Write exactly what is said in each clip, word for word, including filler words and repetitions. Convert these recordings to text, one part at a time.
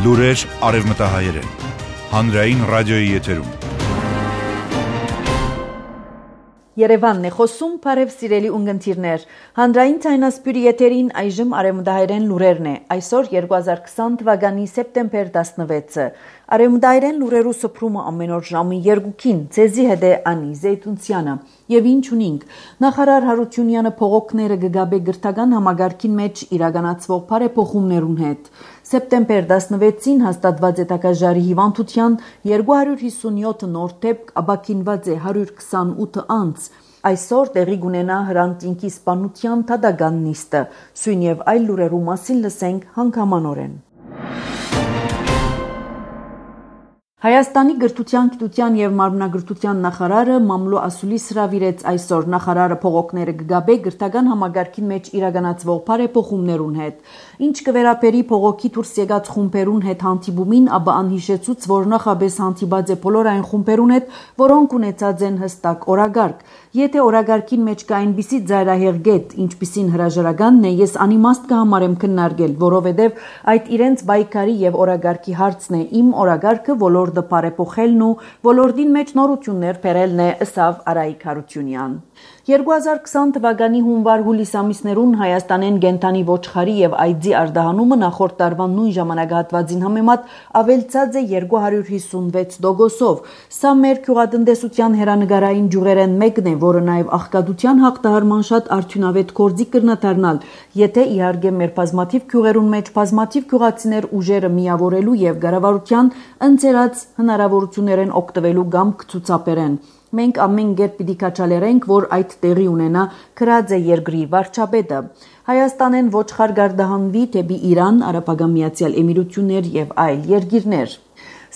Լուրեր արևմտահայերեն, հանրային ռադիոյի եթերում։ Երևանն է խոսում, բարև սիրելի ունգընտիրներ, հանրային ցայնասպյուրի եթերին այժմ արևմտահայերեն լուրերն է, այսօր երկու հազար քսան թվականի սեպտեմբեր տասնվեցը, արևմտահայերեն լուրերու սփռումը ամեն օր ժամի երկուքին, ցեզի հետ է Անի Զեյթունցյանը, եւ ինչ ունինք, նախարար Հարությունյանը փողոքները գգաբե գրթական համագարքին մեջ իրականացվող բարեփոխումներուն հետ, սեպտեմբեր տասնվեցին հաստատված է տակաժարի հիվանդության երկու հարյուր հիսունյոթ նոր դեպք, ապաքինված է հարյուր քսանութ անց, այսօր տեղի կունենա Հրանտինքի սպանության դատական նիստը, սույն եւ այլ լուրերու մասին լսենք հանգամանորեն։ Հայաստանի գրթության, գիտության եւ մարմնագրթության նախարարը Մամլո Ասուլիս հրավիրեց այսօր նախարարը փողոքները գգաբե գրթական համագարքին մեջ իրականացվող բարեփոխումներուն հետ, ինչ կվերապերի փողոքի դուրս եկած խումբերուն հետ հանդիպումին, ապա անհիշեցուց, որ նախաբես հանդիպած է բոլոր այն խումբերուն հետ, որոնք ունեցած են հստակ օրագարկ, եթե օրագարքին մեջ կա այնպիսի ծայրահեղ գետ, ինչպիսին հրաժարականն է, ես անիմաստ կհամարեմ քննարկել, որովհետեւ այդ իրենց բայկարի եւ օրագարքի հարցն է, իմ օրագարքը ոլորտը բարեփոխելն ու ոլորտին մեջ նորություններ բերելն է, ըսավ Արայիկ Հարությունյան։ երկու հազար քսան թվականի հունվար-հուլիս ամիսներուն Հայաստանեն կենդանի ոչխարի եւ այծի արտահանումը նախորդ տարվա նույն ժամանակահատվածին համեմատ ավելցած է երկու հարյուր հիսունվեց տոկոսով։ Սա մեր գյուղատնտեսության հերանեկարային ջուղերեն մեկն է, որը նաեւ աղքատության հաղթահարման շատ արդյունավետ գործիք կրնադառնալ, եթե իհարկե մեր բազմաթիվ գյուղերուն մեջ բազմաթիվ գյուղացիներ ուժերը միավորելու եւ կառավարության ընձեռած հնարավորություններեն օգտվելու կամ կցուցաբերեն։ Մենք ամեն կերպ պիտի քաչալերենք, որ այդ տեղի ունենա քրած է երկրի վարչապետը։ Հայաստանեն ոչխար գարդահանվի դեպի Իրան, Արաբական Միացյալ Էմիրություններ եւ այլ երկիրներ։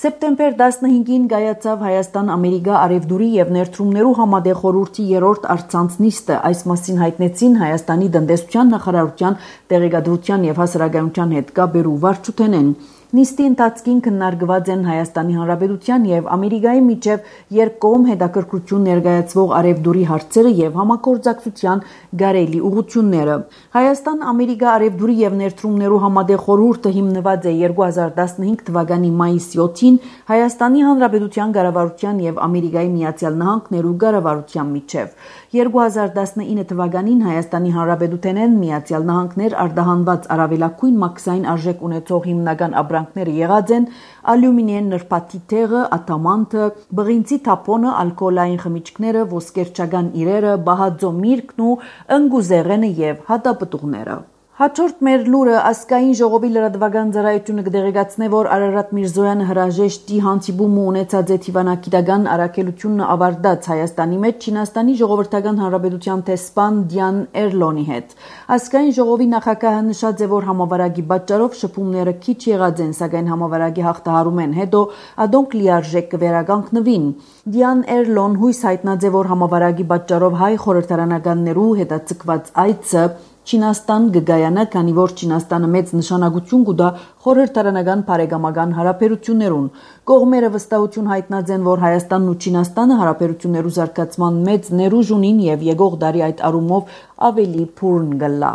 Սեպտեմբեր տասնհինգին կայացավ Հայաստան-Ամերիկա արևդուրի եւ ներդրումներու համատեղ խորհրդի երրորդ առցանց նիստը, այս մասին հայտնեցին Հայաստանի տնտեսության նախարարության տեղեկատվության եւ հասարակայնության հետ կապերու վարչութենեն։ Նիստի ընթացքին քննարկված են Հայաստանի Հանրապետության եւ Ամերիկայի միջև երկկողմ հետաքրքրություն ներկայացվող արևդուրի հարցերը եւ համագործակցության գարելի ուղղությունները։ Հայաստան-Ամերիկա արևդուրի եւ ներդրումներու համատեղ խորհուրդը հիմնված է երկու հազար տասնհինգ թվականի մայիսի յոթին Հայաստանի Հանրապետության կառավարության եւ Ամերիկայի Միացյալ Նահանգներու կառավարության միջև։ երկու հազար տասնինը թվականին Հայաստանի Հանրապետութենեն Միացյալ Նահանգներ արտահանված առավելագույն մաքսային արժեք ունեցող հիմնական ապրանքները եղած են ալյումինիեն նրբաթի թեղը, ատամանտը, բղինցի թափոնը, ալկոհոլային խմիչքները, ոսկերչական իրերը, բահաձո միրգն ու ընկուզեղենը եւ հատապտուղները։ Հաջորդ մեր լուրը ազգային ժողովի լրատվական ծառայությունը կդեղեկացնե, որ Արարատ Միրզոյանը հրաժեշտի հանդիպումը ունեցած է Թիվանագիտական առաքելությունը ավարտած Հայաստանի մեջ Չինաստանի Ժողովրդական Հանրապետության տեսփան Դյան Էրլոնի հետ։ Ազգային ժողովի նախագահը նշած է, որ համավարակի պատճառով շփումները քիչ եղած են, սակայն համավարակի հաղթահարումեն հետո ադոնք լիարժեք կվերականգնվին։ Դյան Էրլոն հույս հայտնած է, որ համավարակի պատճառով հայ խորհրդարանականներու հետաձգված այցը Չինաստան կգայանա, քանի որ Չինաստանը մեծ նշանակություն կուտա խորհրդարանական բարեկամական հարաբերություններուն։ Կողմերը վստահություն հայտնած են, որ Հայաստանն ու Չինաստանը հարաբերություններու զարգացման մեծ ներուժ ունին եւ եկող դարի այդ առումով ավելի փուրն կլա։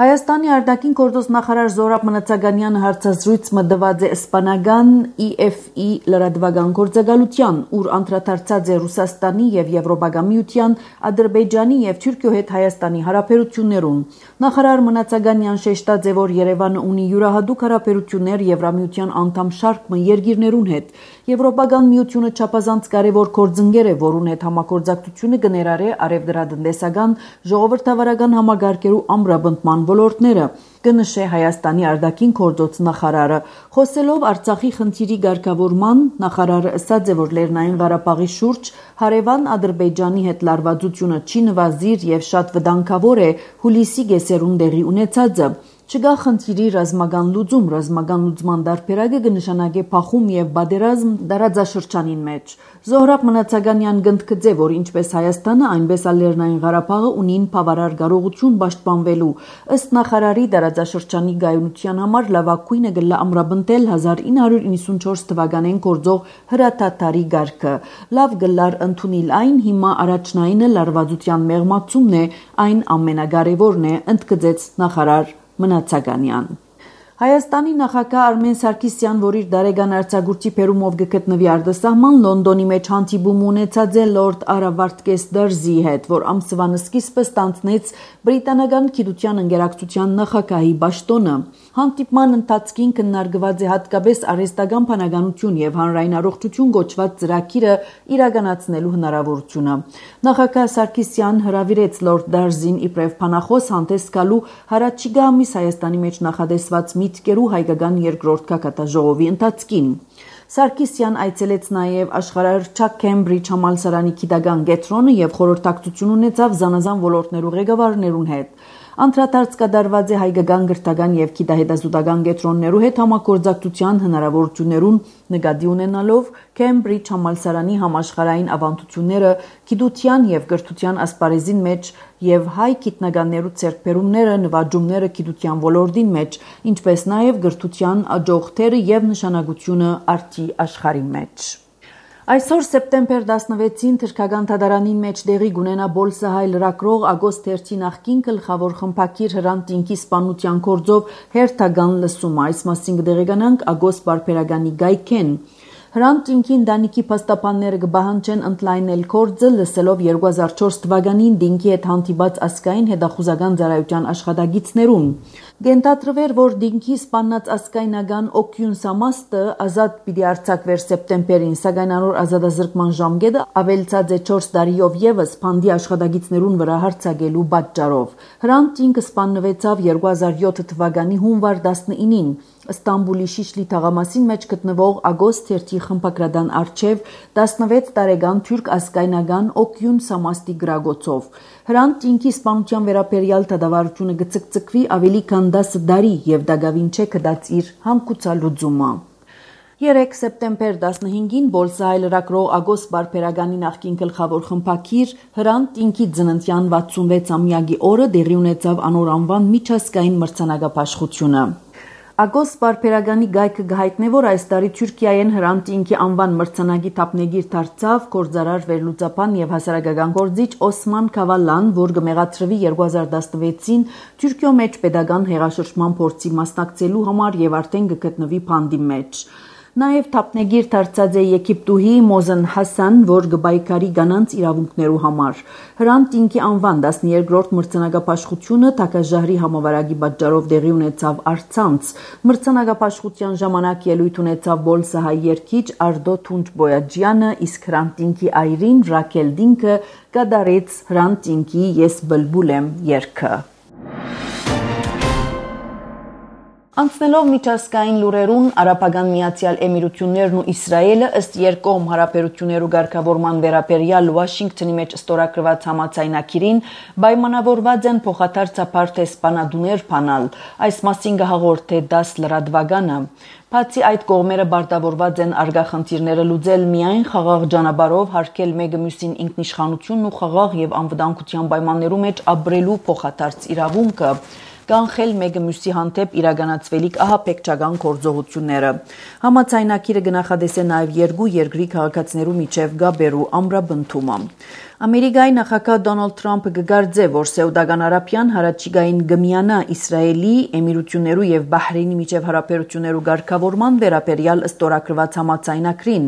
Հայաստանի արտաքին գործոս նախարար Զորաբ Մնացականյանը հարցազրույց մտված է իսպանական E F E լրատվական գործակալության, ուր անդրադարձած է Ռուսաստանի եւ Եվրոպական միության, Ադրբեջանի եւ Թուրքիո հետ Հայաստանի հարաբերություններուն։ Նախարար Մնացականյան շեշտած է, որ Երևանը ունի յուրահատուկ հարաբերություններ Եվրամիության անդամ շարք երկիրներուն հետ։ Եվրոպական միությունը չափազանց կարևոր գործընկեր է, որուն հետ համագործակցությունը կներառե արևդրատնտեսական, ժողովրդավարական համագարկերու ամրապնդման ոլորտները, կնշե Հայաստանի արտաքին գործոս նախարարը։ Խոսելով Արցախի խնդիրի ղեկավարման, նախարարը ասաց է, որ Լեռնային Ղարաբաղի շուրջ հարևան Ադրբեջանի հետ լարվածությունը չի նվազիր եւ շատ վտանգավոր է հուլիսի կեսերուն տեղի ունեցածը։ Չկա խնդիրի ռազմական լուծում, ռազմական լուծման դարբերակը կնշանակե փախում եւ բادرազմ դարաձաշրջանին մեջ։ Զոհրաբ Մնացականյան գնդկծե, որ ինչպես Հայաստանը, այնպես էլ Լեռնային Ղարաբաղը ունին բավարար կարողություն պաշտպանվելու։ Ըստ նախարարի դարաձաշրջանի գայունության համար լավագույնը գլա ամրապնդել հազար ինը հարյուր իննսունչորս թվականին գործող հրաթաթարի գարկը։ Լավ գլար ընդունել այն, հիմա առաջնայինը լարվածության մեղմացումն է, այն ամենակարևորն է, ընդգծեց նախարար Մնացականյան։ Հայաստանի նախագահ Արմեն Սարգսյան, որ իր դարեգան արձակուրդի Պերումով գտնվի արտասահման, Լոնդոնի մեջ հանդիպում ունեցած է լորդ Արա Վարդգես Դարզի հետ, որ ամսվան սկիզբը ստանձնեց բրիտանական գիտության ընկերակցության նախագահի պաշտոնը։ Հանդիպման ընթացքին քննարկված է հատկապես արհեստական բանականություն եւ հանրային առողջություն գոչված ծրագիրը իրականացնելու հնարավորությունը։ Նախագահ Սարգսյան հրավիրեց լորդ Դարզին իբրև բանախոս հանդես գալու հարաճիգա ամիս Հայաստանի մեջ նախադեсված միտքերու հայկական երկրորդ կակատաժողովի ընթացքին։ Սարգսյան այցելեց նաև աշխարհահռչակ Քեմբրիջ համալսարանի գիտական կենտրոնը եւ խորհրդակցություն ունեցավ զանազան ոլորտներու ղեկավարներուն հետ։ Անդրադարձ կատարված է հայկական գրթական եւ գիտահետազոտական կենտրոններու հետ համագործակցության հնարավորություններուն նկատի ունենալով Քեմբրիջ համալսարանի համաշխարհային ավանդությունները գիտության եւ գրթության ասպարեզին մեջ եւ հայ գիտնականներու ցերկբերումները նվաճումները գիտության ոլորտին մեջ, ինչպես նաեւ գրթության աջողթերը եւ նշանակությունը արտի աշխարհի մեջ։ Այսօր սեպտեմբեր տասնվեցին թրքական թադարանին մեջ դեղի գունենա Բոլսահայ լրագրող Ագոստ Թերթի նախկին գլխավոր խմբակիր Հրանտ Տինկի սպանության գործով հերթական լսումը, այս մասին կդեղեկանանք Ագոստ Բարբերականի գայքեն։ Հրանտ Տինկի ընտանիքի փաստաբանները կբահանջեն ընդլայնել գործը, լսելով երկու հազար չորս թվականին Տինկի հետ հանդիպած ազգային հետախուզական ծառայության աշխատակիցներուն։ Գենտատրվեր, որ Տինկի սպանած ազգայնական Օկյուն Սամաստը ազատ պիտի արձակվեր սեպտեմբերին, սակայն անոր ազատազրկման ժամկետը ավելցած է չորս տարիով եւս փանդի աշխատակիցներուն վրա հարձակելու պատճառով։ Հրանտ Տինկը սպանվեցավ երկու հազար յոթ թվականի հունվար տասնինին Ստամբուլի Շիշլի թաղամասին մեջ գտնվող Ագոստ Թերթի խմբագրադան արչև տասնվեց տարեկան թուրք ազգայնական Օկյուն Սամաստի գրագոցով։ Հրանտ Տինկի սպանության վերաբերյալ դատավարությունը գծկծկվի ավելի քան դասը տարի եւ դակավին չէ կդած իր համկուցալուծումը։ Երեք սեպտեմբեր տասնհինգին Բոլսահայ լրագրող Ագոստ Բարբերականի նախկին գլխավոր խմբակիր Հրանտ Տինկի ծննդյան վաթսունվեց-ամյակի օրը տեղի ունեցավ անոր անվան միջազգային մրցանակապաշխությունը։ Ագոստ Բարբերականի գայքը գահիտնե, որ այս տարի Թուրքիայեն Հրանտ Տինկի անվան մրցանակի թափնեգիր դարձավ գործարար վերլուծաբան եւ հասարակական գործիչ Օսման Քավալան, որ կմեղադրվի երկու հազար տասնվեցին Թուրքիո մեջ pedagogan հեղաշրջման փորձի մասնակցելու համար եւ արդեն կգտնվի փանդի մեջ։ Նաև թափնեգիր դարձած է Եգիպտուհի Մոզեն Հասան, որ գբայկարի կանանց իրավունքներու համար։ Հրանտ Տինկի անվան տասներկրորդ մրցանակապաշխությունը Թակաժահրի համավարակի պատճառով տեղի ունեցավ առցանց։ Մրցանակապաշխության ժամանակ ելույթ ունեցավ Բոլսահայ երգիչ Արդո Թունջբոյաջյանը, իսկ Հրանտ Տինկի այրին Ռաքել Դինկը կատարեց Հրանտ Տինկի Ես բլբուլ եմ երգը։ Անցնելով միջազգային լուրերուն, Արաբական Միացյալ Էմիրություններն ու Իսրայելը ըստ երկկողմ հարաբերություններու ղեկավարման վերաբերյալ Վաշինգտոնի մեջ ստորագրված համաձայնագիրին պայմանավորված են փոխադարձաբար տեսփանադուներ բանալ, այս մասին կհաղորդե դաս լրատվականը։ Բացի այդ կողմերը պարտավորված են արգախնդիրները լուծել միայն խաղաղ ճանապարհով, հարգել մեկը մյուսին ինքնիշխանությունն ու խաղաղ եւ անվտանգության պայմաններու մեջ ապրելու փոխադարձ իրավունքը, կանխել մեկը մյուսի հանդեպ իրականացվելիք ահաբեկչական գործողությունները։ Համաձայնագիրը կնախադեսե նաև երկու երկրի քաղաքացիներու միջև գաբերու ամրապնդումը։ Ամերիկայի նախագահ Դոնալդ Թրամփը կգարձե, որ Սաուդական Արաբիան հարաճիգային գմիանա Իսրայելի, Էմիրություններու եւ Բահրեյնի միջև հարաբերություններու ղեկավարման վերաբերյալ ստորագրված համաձայնագրին։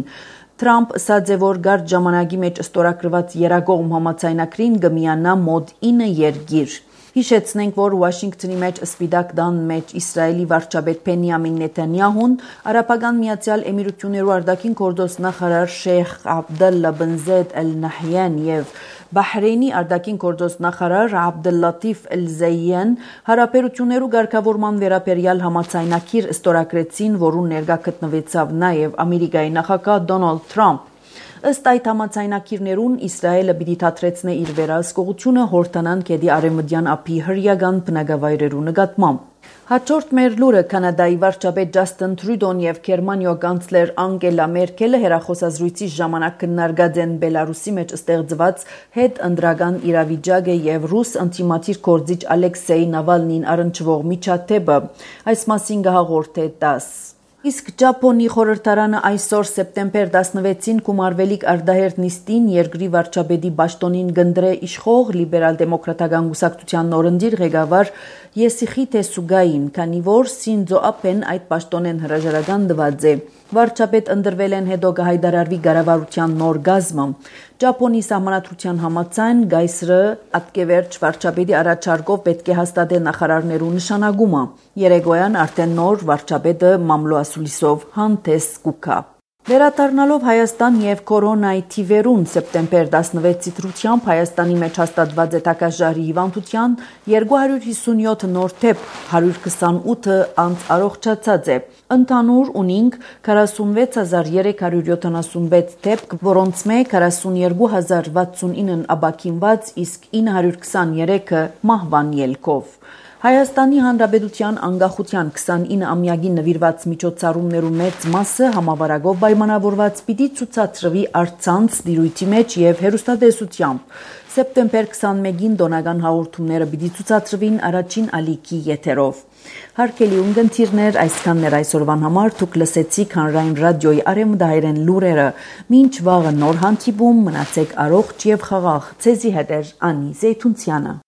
Թրամփ ասաց է, որ գարտ ժամանակի մեջ ստորագրված երակողմ համաձայնագրին գմիանա մոտ ինը երկիր։ Հիշեցնենք, որ Վաշինգտոնի մեջ Սպիտակ տան մեջ Իսրայելի վարչապետ Բենյամին Նեթանյահուն, Արաբական Միացյալ Էմիրություններու արտաքին գործոստ նախարար Շեյխ Աբդալլա բն Զեյդ Ալ Նահյան եւ Բահրեյնի արտաքին գործոստ նախարար Աբդելլաթիֆ Ալ Զայեն հարաբերություններու ղեկավարման վերաբերյալ համաձայնագիր ստորագրեցին, որուն ներկա գտնվեցավ նաեւ Ամերիկայի նախագահ Դոնալդ Թրամփ։ Ըստ այդ համաձայնագիրներուն Իսրայելը պիտի թատրեցնե իր վերահսկողությունը Հորդանան գետի արևմտյան ափի հրեական բնակավայրերու նկատմամբ։ Հաջորդ մեր լուրը Կանադայի վարչապետ Ջաստին Տրյուդոն եւ Գերմանիո կանցլեր Անգելա Մերկելը հերախոսազրույցի ժամանակ քննարկած են Բելարուսի մեջ ստեղծված հետընտրական իրավիճակը եւ ռուս անտիմատիր գործիչ Ալեքսեյ Նավալնին առնչվող միջադեպը։ Այս մասին կհաղորդե դաս։ Իսկ Ճապոնի խորհրդարանը այսօր սեպտեմբեր տասնվեցին կումարվելիք արդահերտ նիստին երկրի վարչապետի պաշտոնին գնդրե իշխող լիբերալ-դեմոկրատական կուսակցության նորընտիր ղեկավար Եսիխի Տեսուգային, քանի որ Սինձո Աբեն այդ պաշտոնեն հրաժարական տված է։ Վարչապետ ընտրվել են հետո կհայտարարվի կառավարության նոր գազմը։ Ճապոնի սահմանադրության համաձայն գայսրը ատկևերջ վարչապետի առաջարկով պետք է հաստատե նախարարներու նշանակումը։ Երեգոյան արդեն նոր վարչապետը մամլոասուլիսով հանդես կուքա։ Վերադառնալով Հայաստան եւ կորոնայի թիվերուն սեպտեմբեր տասնվեցի դրությամբ Հայաստանի մեջ հաստատված է տակաժարի հիվանդության երկու հարյուր հիսունյոթ նոր դեպք, հարյուր քսանութը անց առողջացած է։ Ընդհանուր ունինք քառասունվեց հազար երեք հարյուր յոթանասունվեց դեպք, որոնց մեջ քառասունյոթ հազար վաթսունինն ապաքինված, իսկ ինը հարյուր քսաներեքը մահվան ելքով։ Հայաստանի Հանրապետության անկախության քսանինը-ամյակին նվիրված միջոցառումներու մեծ մասը համավարակով պայմանավորված պիտի ցուցադրվի առցանց դիրույթի մեջ եւ հեռուստատեսությամբ։ Սեպտեմբեր քսանմեկին տոնական հաղորդումները պիտի ցուցադրվին առաջին ալիքի եթերով։ Հարգելի ունկնդիրներ, այսքանն էր այսօրվան համար, դուք լսեցիք Հանրային ռադիոյի արևմտահայերեն լուրերը։ Մինչ վաղը նոր հանդիպում, մնացեք առողջ եւ խաղաղ։ Ձեզի հետ էր Անի Զեյթունցյանը։